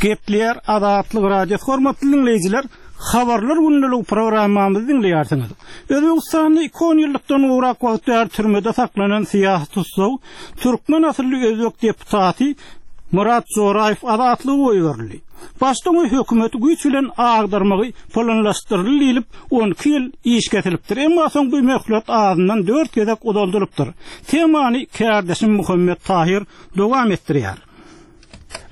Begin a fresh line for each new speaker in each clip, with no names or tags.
Gepleýär Azatlyk Radiosy hormatly diňleýjiler, Habarlar gündeligi programmamyzy diňleýärsiňiz. Özbegistanda iki onýyllykdan gowrak wagt bäri türmede saklanan syýasy tussag, türkmen asylly özbek deputaty Myrat Joraýew azatlyga goýberildi. Başda oňa hökümeti güýç bilen agdarmagy planlaşdyryldy diýlip, 12 ýyl iş kesilipdir. Emma soň bu möhlet azyndan dört gezek uzaldylypdyr. Temany kärdeşim Muhammet Tahyr dowam etdirýär.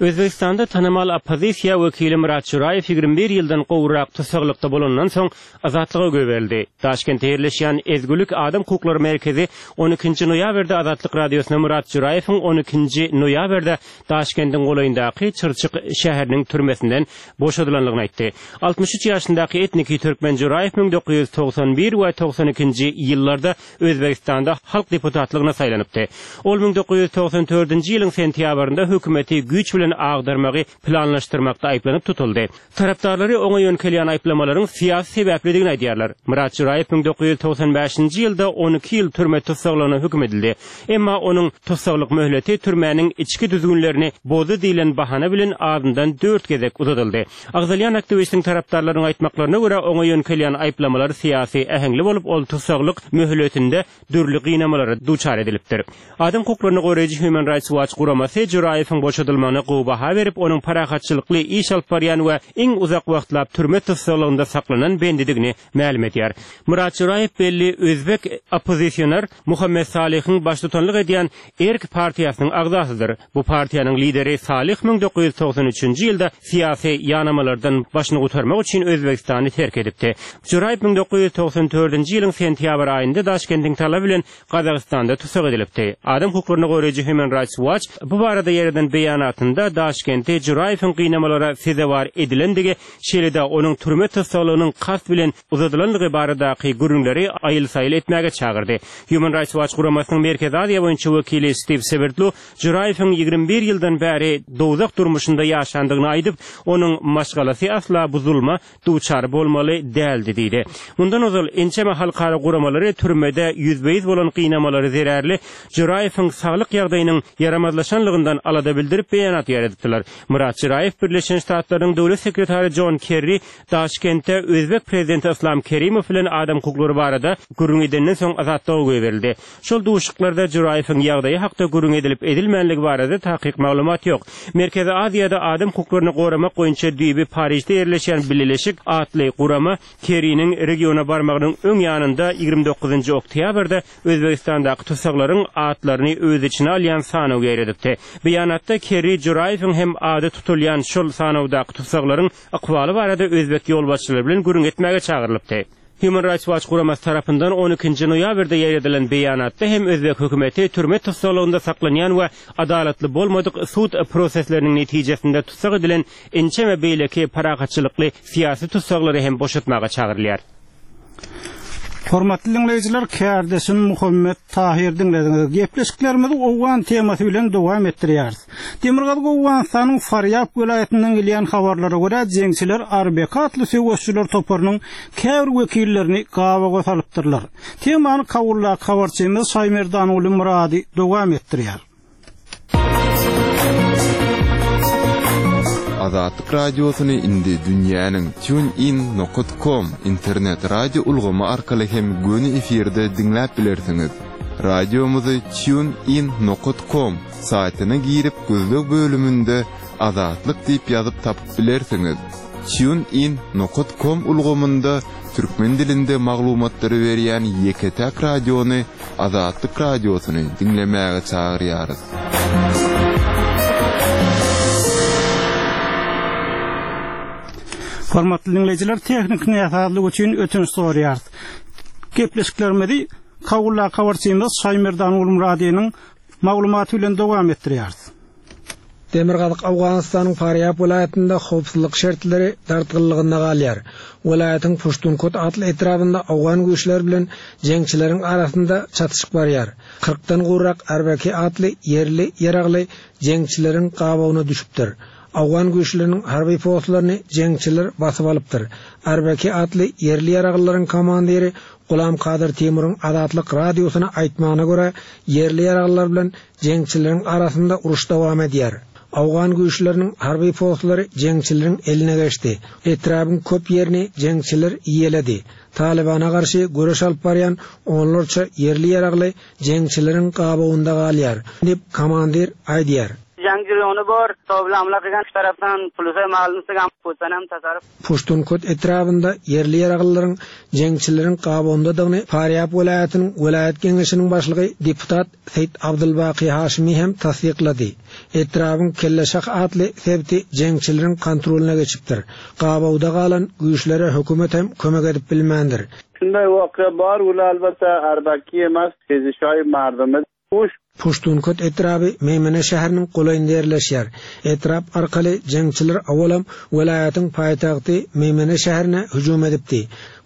Özbegistanda tanymal oppozisiýa wekili Myrat Juraýew 21 ýyldan gowrak tussaglykda bolandan soň azatlyga goýberildi. Daşkentde ýerleşýän Ezgulik adam hukuklary merkezi on ikinji noýabrda Azatlyk Radiosyna Myrat Juraýewiň on ikinji noýabrda Daşkendiň golaýyndaky Çyrçyk şäheriniň türmesinden boşadylandygyny aýtdy. 63 ýaşyndaky etniki türkmen Juraýew 1991 we 92-nji ýyllarda Özbegistanda halk deputatlygyna saýlanypdy. Ol 1994-nji ýylyň sentýabrynda hökümeti güýç bilen agdarmagy planlaşdyrmakda aýyplanyp tutuldy. Tarapdarlary oňa ýöňkelýän aýyplamalaryň syýasy sebäplidigini aýdýarlar. Myrat Juraýew 1995-nji ýylda 12 ýyl türme tussaglygyna höküm edildi. Emma onuň tussaglyk möhleti türmäniň içki düzgünlerini bozdy diýlen bahana bilen azyndan dört gezek uzadyldy. Agzalýan aktiwistiň tarapdarlarynyň aýtmaklaryna görä, oňa ýöňkelýän aýyplamalar syýasy äheňli bolup, ol tussaglyk möhletinde dürli gynamalara duçar edilipdir. Adam hukuklaryny goraýjy Human Rights Watch guramasy Juraýewiň boşadylmagyna gowy baha berip, onuň parahatçylykly iş alyp barýan we iň uzak wagtlap türme tussaglygynda saklanan bendidigini mälim edýär. Myrat Juraýew belli özbek oppozisioner Muhammet Salyhyň baştutanlyk edýän Erk partiýasynyň agzasydyr. Bu partiýanyň lideri Salyh 1993-nji ýylda syýasy ýanamalardan başyny gutarmak üçin Özbegistany terk edipdi. Juraýew 1994-nji ýylyň sentýabr aýynda Daşkendiň talaby bilen Gazagystanda tussag edilipdi. Adam hukuklaryny goraýjy Human Rights Watch bu barada ýaýradan beýanatynda Daşkentde Juraýewiň gynamalara sezewar edilendigi, şeýle-de onuň türme tussaglygynyň kast bilen uzadylandygy baradaky gürrüňleri aýyl-saýyl etmäge çagyrdy. Human Rights Watch guramasynyň Merkezi Aziýa boýunça wekili Stiw Swerdlu Juraýewiň 21 ýyldan bäri dowzah durmuşynda ýaşandygyny aýdyp, onuň maşgalasy asla bu zulma duçar bolmaly däldi diýdi. Mundan ozal ençeme halkara guramalary türmede ýüzbe-ýüz bolan gynamalary zerarly Juraýewiň saglyk ýagdaýynyň ýaramazlaşanlygyndan alada bildirip beýanat ýaýradypdylar. Myrat Juraýew Birleşen Ştatlaryň Döwlet sekretary Jon Kerri Daşkentde özbek prezidenti Yslam Kerimow bilen adam hukuklary barada gürrüň edenden soň azatlyga goýberildi. Şol duşuşyklarda Juraýewiň ýagdaýy hakda gürrüň edilip edilmänligi barada takyk maglumat ýok. Merkezi Aziýada adam hukuklaryny goramak boýunça düýbi Parižde ýerleşýän Bileleşik atly gurama Kerriniň regiona barmagynyň öň ýanynda 29 oktýabrda Özbegistandaky tussaglaryň atlaryny öz içine alýan sanaw ýaýradypdy. Beýanatda Kerri Juraýewiň hem ady tutulýan şol sanawdaky tussaglaryň ykbaly barada özbek ýolbaşçylary bilen gürrüň etmäge çagyrylypdy. Human Rights Watch guramasy tarapyndan on ikinji noýabrda ýaýradylan beýanatda hem özbek hökümeti türme tussaglygynda saklanýan we adalatly bolmadyk sud prosesleriniň netijesinde tussag edilen ençeme beýleki parahatçylykly syýasy tussaglary hem boşatmaga çagyrylýar.
Hormatly diňleýjiler, kärdeşim Muhammet Tahyr diňlediňiz. Gepleşiklerimizi owgan temasy bilen dowam etdirýäris. Demirgazyk Owganystanyň Farýab welaýatyndan gelýän habarlara görä, jeňçiler Arbeka atly söweşijiler toparynyň käbir wekillerini gabawa salypdyrlar. Temany Kabuldaky habarçymyz Şaýmerdanguly Myrady dowam etdirýär.
Azatlyk Radiosyny indi dünýäniň TuneIn nokat kom internet radio ulgamy arkaly hem göni efirde diňläp bilersiňiz. Radiomyzy TuneIn nokat kom saýtyna girip gözleg bölüminde Azatlyk diýip ýazyp tapyp bilersiňiz. TuneIn nokat kom ulgamynda türkmen dilinde maglumatlary berýän ýeke-täk radiony Azatlyk Radiosyny diňlemäge çagyrýarys.
Hormatly diňleýjiler, tehniki näsazlyk üçin ötünç soraýarys. Gepleşiklerimizi Kabuldaky habarçymyz Şaýmerdan Gulmyradynyň maglumaty bilen dowam etdirýäris.
Demirgazyk Owganystanyň Farýab welaýatynda howpsuzlyk şertleri dartgynlygynda galýar. Welaýatyň Puştunkot atly etrabynda owgan güýçleri bilen jeňçileriň arasynda çatyşyk barýar. Kyrkdan gowrak Arbaki atly ýerli ýaragly jeňçileriň gabawyna düşüpdir. Owgan güýçleriniň harby postlaryny jeňçiler basyp alypdyr. Arbaki atly ýerli ýaraglylaryň komandiri Gulam Kadyr Timuryň Azatlyk Radiosyna aýtmagyna görä, ýerli ýaraglylar bilen Jeňçileriň arasynda uruş dowam edýär. Owgan güýçleriniň harby postlary jeňçileriň eline geçdi. Etrabyň köp ýerini jeňçiler eýeledi. Talybana garşy göreş alyp barýan onlarça ýerli ýaragly jeňçileriň gabawynda galýar, diýip, komandir aýdýar.
Jang jeriýony bor, tobla hamla kylgan şu tarapdan pulusa malny sygam pusanam tasarruf.
Puştunkot etrabynda ýerli ýaraglylaryň jeňçileriň gabawyndadygyny Farýab welaýatynyň welaýat geňeşiniň başlygy deputat Seýit Abdylbaky Haşymy hem tassyklady. Etrabyň Kelleşah atly sebiti jeňçileriň kontrolyna geçipdir. Gabawda galan güýçlere hökümet hem kömek edip bilmändir.
Şunday voqea bor, ular albatta arbaki emas, xezishoi mardumi. Uş.
Puştunkot etraby Meýmene şäheriniň golaýynda ýerleşýär. Etrap arkaly jeňçiler owalam welaýatyň paýtagty Meýmene şäherine hüjüm edipdi.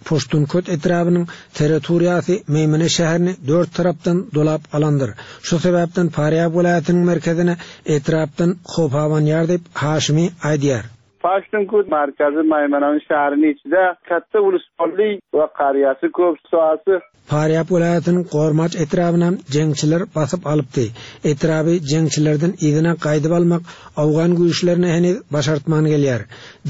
Puştunkot etrabynyň territoriýasy Meýmene şäherini dört tarapdan dolap alandyr. Şu sebäpden Farýab welaýatynyň merkezine etrapdan howp abanýar diýip, Haşimi aýdýar.
Paştunkut markazy Maýmananyň şäheriniň içide katta ulusbolli we qarýasy köp soasy.
Farýab welaýatynyň Gormaç etrabynam jeňçiler basyp alypdy. Etraby jeňçilerden yzyna gaýdyp almak owgan güýçlerine heniz başartman gelýär.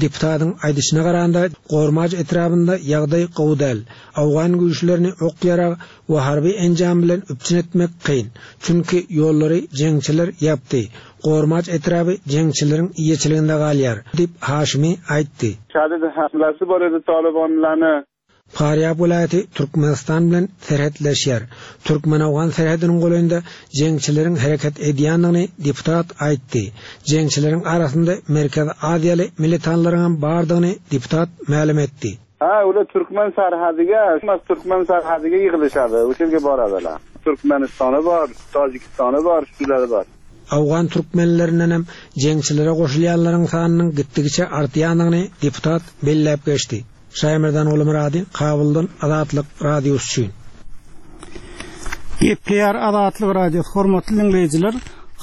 Deputatyň aýdyşyna garanda, Gormaç etrabynda ýagdaý gowy däl. Owgan güýçlerini ok-ýarag we harby enjam bilen üpjün etmek kyn. Çünki ýollary jeňçiler ýapdy. Gormaç etraby jeňçileriň eýeçiliginde galýar, diýip, Haşimi aýtdy.
Şadid hamlasy bor edi tolibonlany.
Farýab welaýaty Türkmenistan bilen serhetleşýär. Türkmen-owgan serhediniň golaýynda jeňçileriň hereket edýändigini deputat aýtdy. Jeňçileriň arasynda Merkezi Aziýaly militanlaryňam bardygyny deputat mälim etdi.
Ha, ular türkmen sarhadiga, emas türkmen sarhadiga ýygylyşady, o'sha yerga boradilar. Türkmenistany bor, Tojikistany bor, shulari bor.
Owgan türkmenlerindenem jeňçilere goşulýanlaryň sanynyň gitdigiçe artýandygyny deputat belläp geçdi. Şaýmerdan Gulmyrady, Kabuldan Azatlyk Radiosy üçin.
Gepleýär Azatlyk Radiosy hormatly diňleýjiler,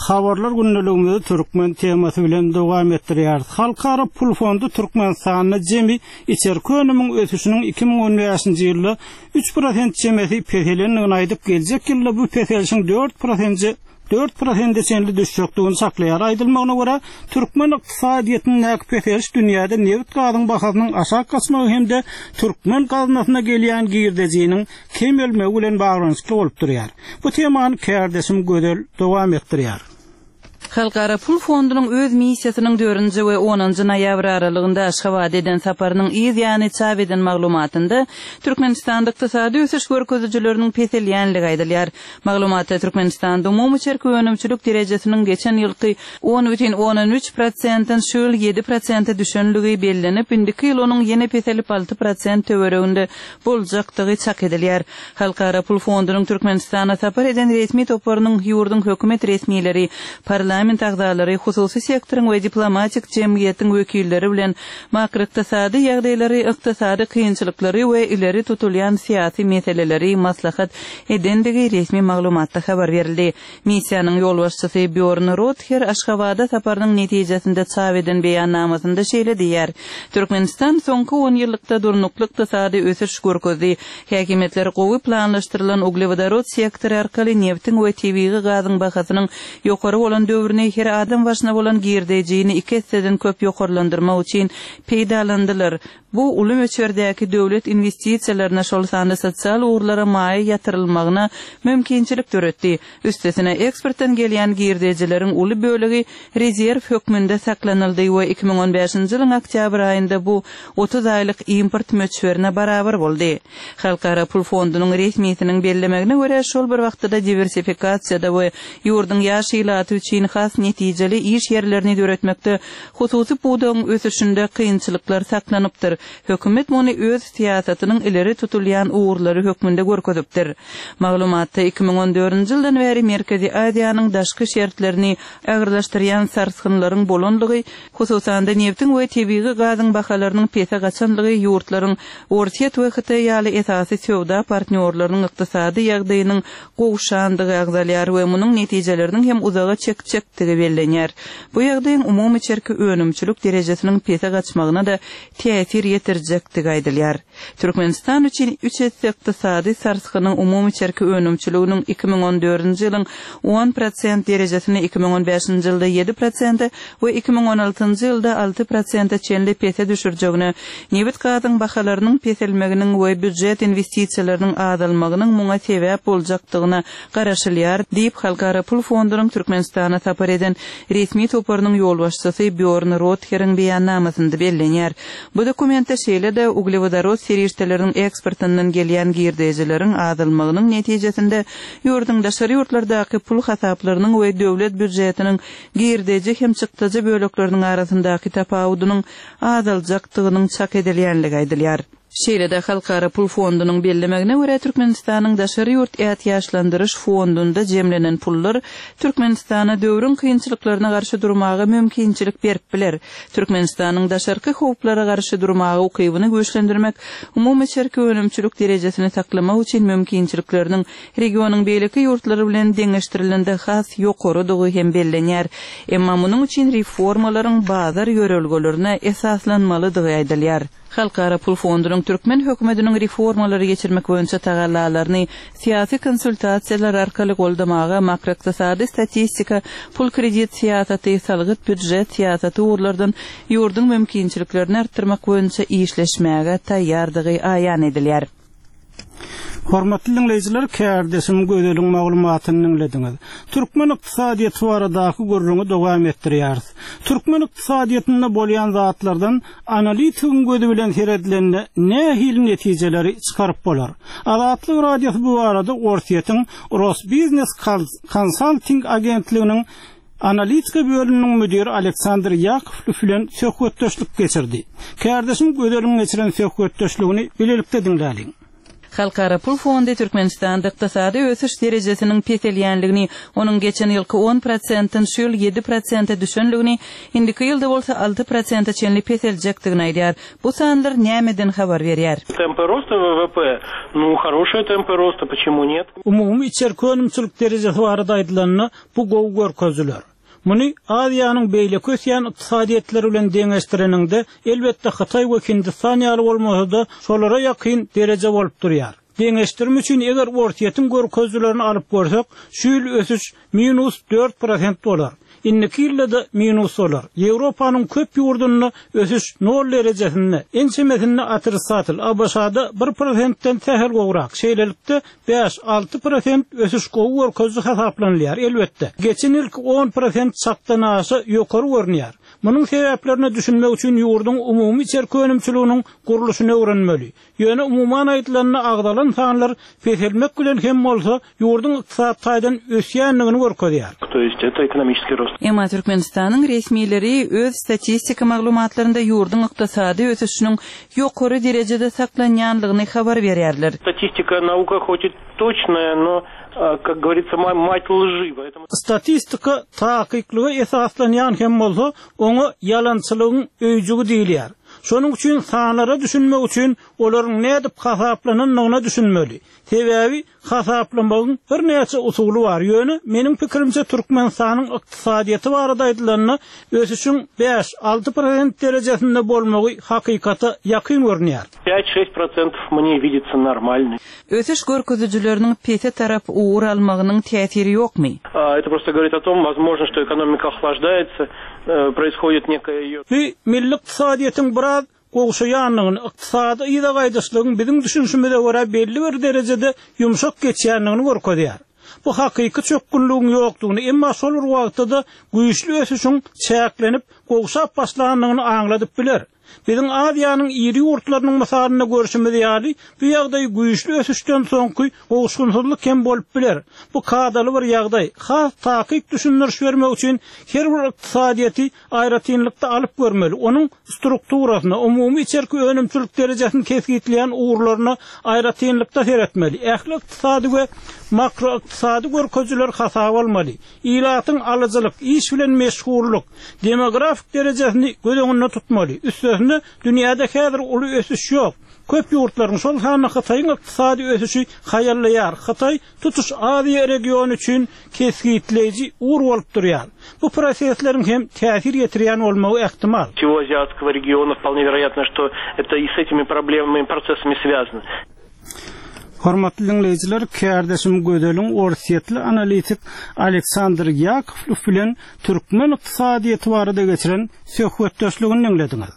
habarlar gündeligimizi türkmen temasy bilen dowam etdirýäris. Halkara pul fondy Türkmenistanda jemi içerki önümiň ösüşiniň 2015-nji ýylda 3 prosent çemesi peselendigini aýdyp, geljek ýylda bu peselişiň 4 prosente dört prosente çenli düşjekdigini çaklaýar. Aýdylmagyna görä, türkmen ykdysadyýetindäki peseliş dünýäde nebit-gazyň bahasynyň aşak gaçmagy hem-de türkmen gaznasyna gelýän girdejiniň kemelmegi bilen baglanyşykly bolup durýar. Bu temany kärdeşim Gözel dowam etdirýär.
Halkara pul fondunyň öz missiýasynyň dördünji we onunjy noýabr aralygynda Aşgabada eden saparynyň yz ýany çap eden maglumatynda Türkmenistanda ykdysady ösüş görkezijileriniň peselýänligi aýdylýar. Maglumatda Türkmenistanda umumy içerki önümçilik derejesiniň geçen ýylky 10,3 prosentden şu ýyl 7 prosente düşenligi bellenip, indiki ýyl onuň ýene peselip 6 prosent töwereginde boljakdygy çak edilýär. Halkara pul fondunyň Türkmenistana sapar eden resmi toparynyň ýurduň hökümet resmileri, parlament agzalary, hususy sektoryň we diplomatik jemgyýetiň wekilleri bilen makroykdysady ýagdaýlary, ykdysady kynçylyklary we ileri tutulýan syýasy meseleleri maslahat edendigi resmi maglumatda habar berildi. Missiýanyň ýolbaşçysy Býorn Rother Aşgabada saparynyň netijesinde çap eden beýannamasynda şeýle diýýär, Türkmenistan soňky onýyllykda durnukly ykdysady ösüş görkezdi. Häkimiýetler gowy planlaşdyrylan uglewodorod sektory arkaly nebtiň we tebigy gazyň bahasynyň ýokary bolan döwrüni her adam başyna bolan girdejini iki esseden köp ýokarlandyrmak üçin peýdalandylar. Bu uly möçberdäki döwlet inwestisiýalaryna, şol sanda sosial ugurlara maýa ýatyrylmagyna mümkinçilik döretdi. Üstesine, eksportdan gelýän girdejileriň uly bölegi rezerw hökmünde saklanyldy we 2015-nji ýylyň oktýabr aýynda bu 30 aýlyk import möçberine barabar boldy. Halkara pul fondunyň resmisiniň bellemegine görä, şol bir wagtda-da diwersifikasiýada we ýurduň ýaş ilaty üçin has netijeli iş ýerlerini döretmekde Hususy pudagyň ösüşinde kynçylyklar saklanypdyr. Hökümet muny öz syýasatynyň ileri tutulýan ugurlary hökmünde görkezipdir. Maglumatda 2014-nji ýyldan bäri Merkezi Aziýanyň daşky şertlerini agyrlaşdyrýan sarsgynlaryň bolanlygy, hususan-da nebtiň we tebigy gazyň bahalarynyň pese gaçanlygy ýurtlaryň Orsýet we Hytaý ýaly esasy söwda partnýorlarynyň ykdysady ýagdaýynyň gowşandygy agzalýar we munuň netijeleriniň hem uzaga çekjekdigi bellenýär. Bu ýagdaýyň umumy içerki önümçilik derejesiniň pese gaçmagyna-da täsir. ýetirjekdigi aýdylýar. Türkmenistan üçin üç esse ykdysady sarsgynyň umumy içerki önümçiliginiň 2014-nji ýylyň on prosent derejesini 2015-nji ýylda ýedi prosente we 2016-njy ýylda alty prosente çenli pese düşürjegine, nebit-gazyň bahalarynyň peselmeginiň we býujet inwestisiýalarynyň azalmagynyň muňa sebäp boljakdygyna garaşylýar, diýip, Halkara pul fondunyň Türkmenistana sapar eden resmi toparynyň ýolbaşçysy Býorn Rotheriň beýannamasynda bellenýär. Bu dokumentde şeýle-de uglewodorod serişdeleriniň eksportyndan gelýän girdejileriň azalmagynyň netijesinde ýurduň daşary ýurtlardaky pul hasaplarynyň we döwlet býujetiniň girdeji hem çykdajy bölekleriniň arasyndaky tapawudynyň azaljakdygynyň çak edilýänligi aýdylýar. Şeýle-de Halkara pul fondunyň bellemegine görä, Türkmenistanyň daşary ýurt ätiýaçlandyryş fondunda jemlenen pullar Türkmenistana döwrüň kynçylyklaryna garşy durmaga mümkinçilik berip biler. Türkmenistanyň daşarky howplara garşy durmaga ukybyny güýçlendirmek, umumy içerki önümçilik derejesini saklamak üçin mümkinçilikleriniň regionyň beýleki ýurtlary bilen deňeşdirilende has ýokarydygy hem bellenýär. Emma munuň üçin reformalaryň bazar ýörelgelerine esaslanmalydygy aýdylýar. Halkara pul fondunyň türkmen hökümetiniň reformalary geçirmek boýunça tagallalaryny syýasy konsultasiýalar arkaly goldamaga makroykdysady statistika, pul-kredit syýasaty, salgyt-býujet syýasaty ugurlardan ýurduň mümkinçiliklerini artdyrmak boýunça işleşmäge taýýardygy aýan edilýär.
Hormatly diňleýjiler, kärdeşim Gözeliň maglumatyny diňlediňiz. Türkmen ykdysadyýeti baradaky gürrüňi dowam etdirýäris. Türkmen ykdysadyýetinde bolýan zatlardan analitigiň gözi bilen seredilende nähili netijeleri çykaryp bolar? Azatlyk Radiosy bu barada Orsýetiň Rosbiznes Consulting agentliginiň Analitika bölüminiň müdiri Aleksandr Ýakowlew bilen söhbetdeşlik geçirdi. Kärdeşim Gözeliň geçiren söhbetdeşligini bilelikde diňläliň.
Halkara pul fondy Türkmenistanda ykdysady ösüş derejesiniň peselýänligini, onuň geçen ýylky on prosentden şu ýyl ýedi prosente düşenligini, indiki ýylda bolsa alty prosente çenli peseljekdigini aýdýar. Bu sanlar nämeden habar berýär?
Tempy rosta WWP, nu, хорошие tempy rosta, почему нет?
Umumy içerki önümçilik derejesi barada aýdylanda, Bu gowy görkezijiler. Muny Aziýanyň beýleki ösýän ykdysadyýetleri bilen deňeşdireniňde, elbetde Hytaý we Hindistan ýaly bolmasa-da, şolara ýakyn dereje bolup durýar. Deňeşdirme üçin eger Orsýetiň görkezijilerini alyp görsek, şu ýyl ösüş minus dört prosent bolar. Indiki ýylda-da minus bolar. Ýewropanyň köp ýurdunda ösüş nol derejesinde, ençemesinde otrisatel, ABŞ-da bir prosentden sähel gowrak. Şeýlelikde, Bäş, 6% ösüş gowy görkeziji hasaplanylýar, elbetde. Geçen ýylky 10% çakdan aşa ýokary görünýär. Munuň sebäplerine düşünmek üçin ýurduň umumy içerki önümçiliginiň gurluşyny öwrenmeli. Ýöne umuman aýdylanda agzalan sanlar peselmek bilen hem bolsa ýurduň ykdysady taýdan ösýändigini görkezýär.
To ýest eto ekonomiçeskiý rost.
Emma Türkmenistanyň resmileri öz statistika maglumatlarynda ýurduň ykdysady ösüşiniň ýokary derejede saklanýanlygyny habar berýärler.
Statistika nauka hoç i toçnaýa, no, kak govoritsya, mat lži, poetomu.
Statistika takyklyga esaslanýan hem bolsa, oňa ýalançylygyň öýjügi diýilýär. Şonuň üçin sanlara düşünmek üçin olaryň nädip hasaplanandygyna düşünmeli. Sebäbi Hasaplamagyň birnäçe usuly bar, ýöne meniň pikirimçe Türkmenistanyň ykdysadyýeti barada aýdylanda ösüşiň bäş, alty prosent derejesinde bolmagy hakykata ýakyn görünýär.
Pять-şeсть protsentov mne vidится normalnyy.
Ösüş görkezijileriniň pese tarap ugur almagynyň täsiri ýokmy?
Это просто говорит о том, возможно, что экономика охлаждается, происходит некая её.
Bu milli ykdysadyýetiň biraz gowşaýandygyny, ykdysady yza gaýdyşlygyň biziň düşünişimize görä belli bir derejede ýumşak geçýändigini görkezýär. Bu hakyky çökgünligiň ýokdugyny, emma şol bir wagtda-da güýçli ösüşiň çäklenip, gowşap başlandygyny aňladyp biler. Biziň Aziýanyň iri ýurtlarynyň mysalynda görşümiz ýaly, bu ýagdaý güýçli ösüşden soňky gowuşgynsyzlyk hem bolup biler. Bu kadaly bir ýagdaý. Has takyk düşündiriş bermek üçin her bir ykdysadyýeti aýratynlykda alyp görmeli, onuň strukturasyna, umumy içerki önümçilik derejesini kesgitleýän ugurlaryna aýratynlykda seretmeli, ähli ykdysady we makroykdysady görkezijileri hasaba almaly, ilatyň alyjylyk, iş bilen meşgullyk, demografik derejesini göz öňünde tutmaly. Üstesine, dünýäde häzir uly ösüş ýok. Köp ýurtlaryň, şol sanda Hytaýyň ykdysady ösüşi haýallaýar. Hytaý tutuş Aziýa regiony üçin kesgitleýji ugur bolup durýar. Bu prosesleriň hem täsir ýetirýän bolmagy ähtimal.
Всего азиатского региона вполне вероятно, что это и с этими проблемами и процессами связано.
Hormatly diňleýjiler, kärdeşim Gözeliň orsýetli analitik Aleksandr Ýakowlew bilen türkmen ykdysadyýeti barada geçiren söhbetdeşligini diňlediňiz.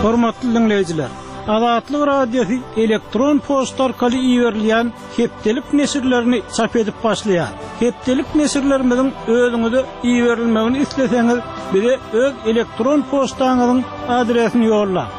Hormatly diňleýjiler, Azatlyk Radiosy elektron poçta arkaly iberilýän hepdelik neşirlerini çap edip başlaýar. Hepdelik neşirlerimiziň özüňize iberilmegini isleseňiz, bize öz elektron poçtaňyzyň adresini ýollaň.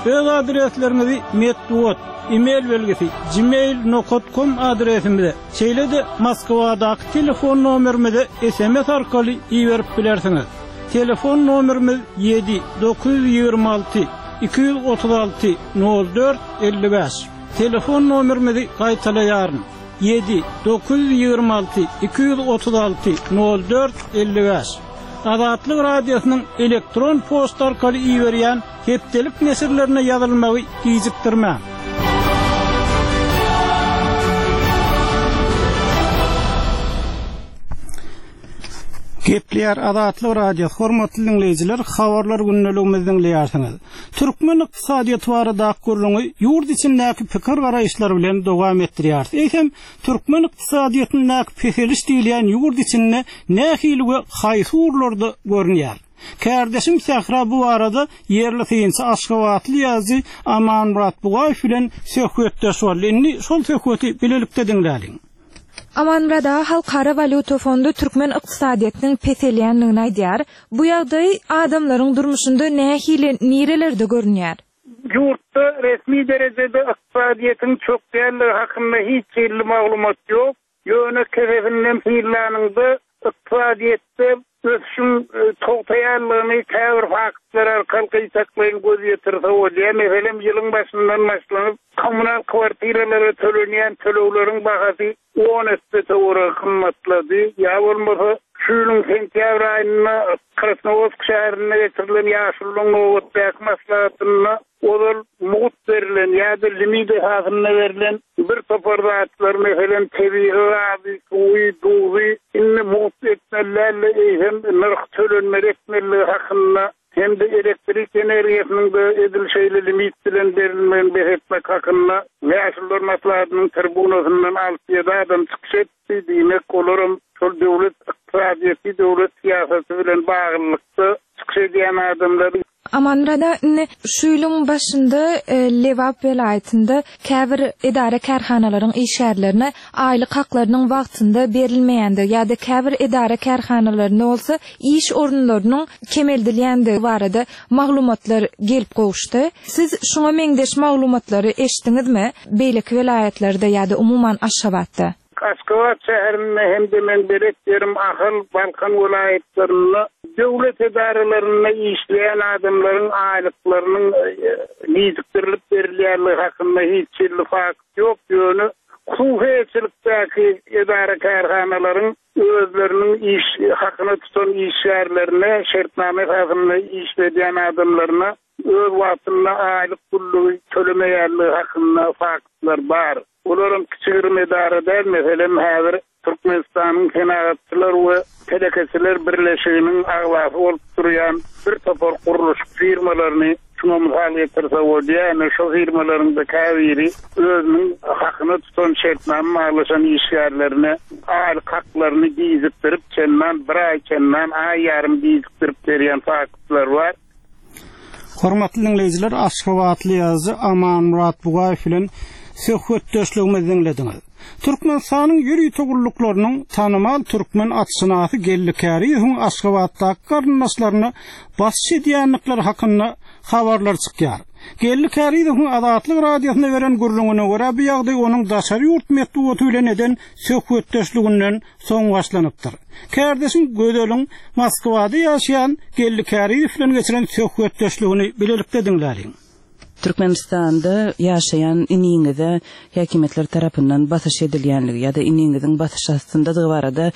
Öz adresleriňizi metbugat, e-mail belgisi, gmail nokat kom adresimize, Şeýle-de Moskwadaky telefon nomerimize sms arkaly iberip bilersiňiz. Telefon nomerimiz ýedi 926 236 04 55. Telefon nomerimizi gaýtalaýaryn, ýedi 926 236 04 55. Azatlyk Radiosynyň elektron poçta arkaly iberýän Hepdelik neşirlerine ýazylmagy gijikdirmäň. Gepleýär Azatlyk Radiosy, hormatly diňleýjiler, habarlar gündeligimizi diňleýärsiňiz. Türkmen ykdysadyýeti baradaky gürrüňi ýurt içindäki pikir-garaýyşlar bilen dowam etdirýäris. Eýsem, türkmen ykdysadyýetindäki peseliş diýilýän ýurt içinde nähili we haýsy ugurlarda görünýär? Kärdeşim Sähra bu barada ýerli synçy aşgabatly ýazyjy Amanmyrat Bugaýew bilen söhbetdeş boldy. Indi şol söhbeti bilelikde diňläliň.
Amanmyrat aga, Halkara walýuta fondy türkmen ykdysadyýetiniň peselýändigini aýdýar. Bu ýagdaý adamlaryň durmuşynda nähili, nirelerde görünýär?
Ýurtda resmi derejede ykdysadyýetiň çökýänligi hakynda hiç hili maglumat ýok. Ýöne kesesinden synlanyňda, ykdysadyýetde ösüşiň togtaýanlygyny käbir faktlar arkaly gytaklaýyn göz ýetirse bolýar. Meselem, ýylyň başyndan başlanyp, kommunal kwartiralara tölenýän tölegleriň bahasy on esse töweregi gymmatlady. Ýa bolmasa, şu ýylyň sentýabr aýynda Krasnowodsk şäherinde geçirilen ýaşulularyň nobatdaky maslahatynda Ozal mugt berlen ýa-da limit esasynda berlen bir topar zatlar, meselem, tebigy gazy, suwy, duzy indi mugt etmeli däl-de, eýsem, nyrh tölenmeli etmelidigi hakynda hem-de elektrik energiýasynyň-da edil şeýle limit bilen berilmegini bes etmek hakynda Ýaşulular maslahatynyň tribunasyndan alty-ýedi adam çykyş etdi. Diýmek, olaram şol döwlet ykdysadyýeti, döwlet syýasaty bilen baglylykda çykyş edýän adamlar.
Amanmyrat aga, indi şu ýylyň başynda Lebap welaýatynda käbir edara-kärhanalaryň işgärlerine aýlyk haklarynyň wagtynda berilmeýändigi ýa-da käbir edara-kärhanalarynda bolsa iş orunlarynyň kemeldilýändigi barada maglumatlar gelip gowuşdy. Siz şuňa meňzeş maglumatlary eşitdiňizmi beýleki welaýatlarda ýa-da umuman Aşgabatda?
Aşgabat şäherinde hem-de meň belet ýerim Ahal, Balkan welaýatlarynda döwlet edaralarynda işleýän adamlaryň aýlyklarynyň gijikdirilip berilýänligi hakynda hiç hili fakt ýok, ýöne hususy eýeçilikdäki edara-kärhanalaryň özleriniň iş hakyna tutan işgärlerine, şertnama esasynda işledýän adamlaryna öz wagtynda aýlyk pullugy tölemeýänligi hakynda faktlar bar. Olaram kiçi-girim edara däl, meselem, häzir Türkmenistanyň Senagatçylar we telekeçiler birleşiginiň agzasy bolup durýan bir topar gurluşyk firmalaryny şuňa mysal getirse bolýar. Ine, şo firmalaryň-da käbiri özüniň hakyna tutan şertnama baglaşan işgärlerine aýlyk haklaryny gijikdirip, çendan bir aý, çendan aý ýarym gijikdirip berýän faktlar bar.
Hormatly diňleýjiler, aşgabatly ýazyjy Amanmyrat Bugaýew bilen söhbetdeşligimizi diňlediňiz. Türkmenistanyň ýörite gulluklarynyň tanymal türkmen atşynasy Geldi Käriýewiň Aşgabatdaky garyndaşlaryna basyş edýändikleri hakynda habarlar çykýar. Geldi Käriýewiň Azatlyk Radiosyna beren gürrüňine görä, bu ýagdaý onuň daşary ýurt metbugaty bilen eden söhbetdeşliginden soň başlanypdyr. Kärdeşim Gözeliň Moskwada ýaşaýan Geldi Käriýew bilen geçiren söhbetdeşligini bilelikde diňläliň.
Türkmenistanda ýaşaýan iniňize häkimiýetler tarapyndan basyş edilýänligi ýa-da iniňiziň basyş astyndadygy barada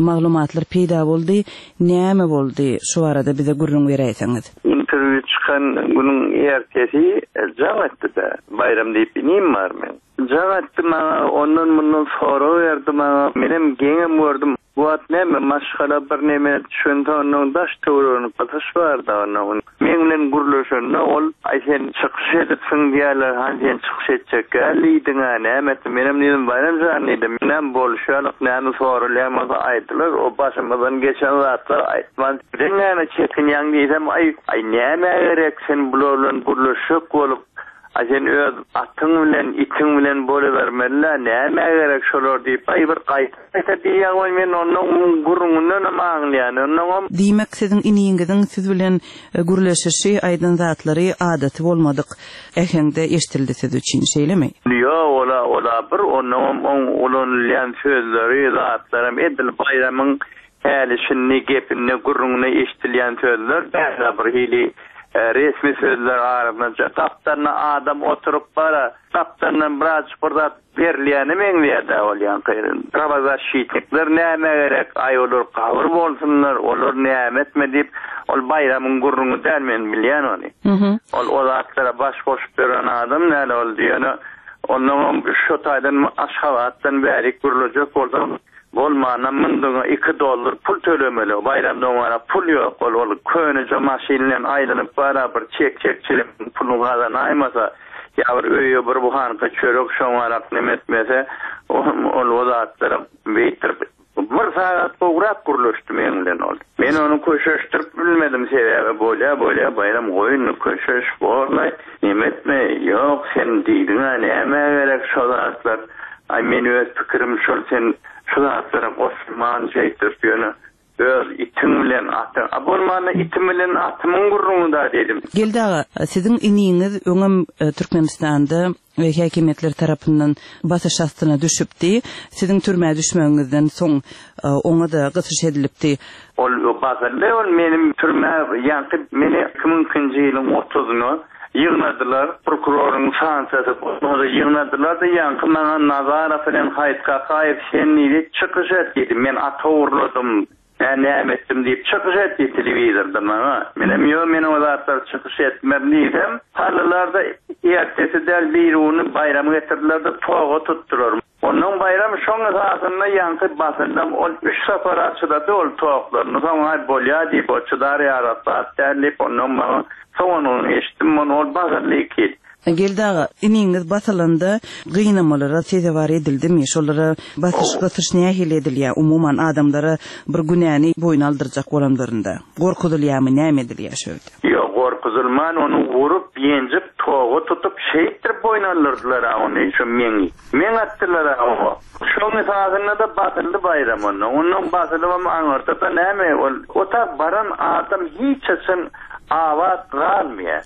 maglumatlar peýda boldy. Näme boldy? Şu barada bize gürrüň beräýseňiz.
Interwýu.
çykan günüň ertesi jaň etdi-de, Baýram diýip inim bar meň. Jaň etdi maňa, ondan-mundan sorag berdi maňa. Menem geňem gördüm. Bu wagt näme, maşgala birneme düşünse onnoň daş-töweregini gysyş bar-da onnoň. Meň bilen gürleşende ol, Aý sen çykyş edipsiň diýýärler, hany sen çykyş etjek däl diýdiň-ä, näme etdiň? Menem diýdim, Baýram jan diýdim, näme bolşy ýalyk, näme soralýan bolsa aýdylar, o başymyzdan geçen zatlary aýtman, sen näme çekinýäň diýsem, Aý, aý nämä gerek sen bular bilen gürleşjek bolup, Aý sen öz atyň bilen, itiň bilen bolubermeli-dä, nämä gerek şolar diýip, aý bir gaýta-gaýta diýýän goý, men onnoň muň gürrüňindenem aňlaýan, onnoňam.
Diýmek, siziň iniňiziň siz bilen gürleşişi, aýdan zatlary adaty bolmadyk äheňde eşdildi siz üçin, şeýlemi?
Ýok, ol-a, ol-a bir, onnoňam oň ulanylýan sözleri, zatlaram edil Baýramyň Häli-şindi gepinde, gürrüňinde eşidilýän sözler däl-de, bir hili resmi sözler arasynda gapdalynda adam oturyp bara, gapdalyndan birazjyk bir zat berilýäne meňzeýär-dä ol ýaňky. Prawozasşitnikler nämä gerek, aý olar gabyr bolsunlar, olar näme etme diýip, ol Baýramyň gürrüňi däl, men bilýän ony. Ol o zatlara baş goşup ýören adam däl ol, ýöne onnoňam şo taýdan Aşgabatdan bärik gürlejek bolsaň, Bolmanda mundyňa iki dollar pul tölemeli, Baýram doňara pul ýok, ol ol köneje maşyn bilen aýlanyp bara bir çek-çek çilim puluny gazanaýmasa, ýa bir öýe bir buhanka çörek şoňarak neme etmese, ol o zatlara beýtdirip bir sagat gowrak gürleşdi meň bilen ol. Men ony köşeşdirip bilmedim, sebäbi bolýa bolýa Baýram goý indi köşeş borlaý, neme etme, ýok sen diýdiňä nämä gerek şo zatlar, aý men öz pikirim şol sen şu zatlara goşulman şeýtdirip ýöne öz itiň bilen atyň, a bolmanda itim bilen atymyň gürrüňi-da diýdim.
Geldi aga, siziň iniňiz öňem Türkmenistanda häkimiýetler tarapyndan basyş astyna düşüpdi. Siziň türmä düşmegiňizden soň oňa-da gysyş edilipdi.
Ol basyldy, ol meniň türmä ýaňky meni 2002-nji ýylyň otuzyna ýygnadylar, prokuroryň sanksiýasy bolmasa ýygnadylar-da, ýaňky maňa Nazarow bilen Haýyt Kakaýew sen diýdi, çykyş et diýdi, men at ogurladym, Mä näme etdim diýip çykyş etdi telewizorda maňa. Menem ýok men o zatlar çykyş etmerin diýsem, saldylarda ertesi däl birigüni Baýramy getirdiler-de toga tutdular. Onnoň Baýram şoň esasynda ýaňky basyndam ol üç sapara çydady ol toklaryny soň aý bolýa diýip o çydar ýaly zat däl diýip onnoň maňa soňunyny eşitdim ony ol basyldy iki ýyl.
Geldi aga, iniňiz basylanda gynamalara sezewar edildimi? Şolara basyş, gysyş nähili edilýär? Umuman, adamlara bir günäni boýun aldyrjak bolanlarynda, gorkuzylýarmy, näme edilýär şu ýerde?
Ýok, gorkuzylman, ony urup, ýenjip, toga tutup, şeýtdirip boýun aldyrdylar-a ony, şo meňi. Meň atdylar-a oňa. Şoň esasynda-da basyldy Baýram onda. Ondan basylybam aňyrda-da näme, ol otag baran adam hiç haçan abat galmaýar.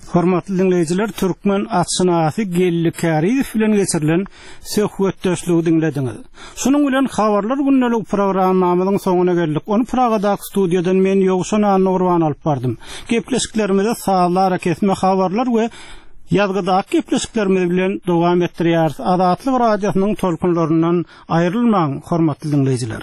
Hormatly diňleýjiler, türkmen atşynasy Geldi Kärizow bilen geçirilen söhbetdeşligi diňlediňiz. Şunuň bilen Habarlar gündelik programmamyzyň soňuna geldik. Ony Pragadaky studiýadan men Ýowşan Annagurban alyp bardym. Gepleşiklerimizi sazly arakesme habarlar we ýazgydaky gepleşiklerimiz bilen dowam etdirýäris. Azatlyk Radiosynyň tolkunlaryndan aýrylmaň, hormatly diňleýjiler!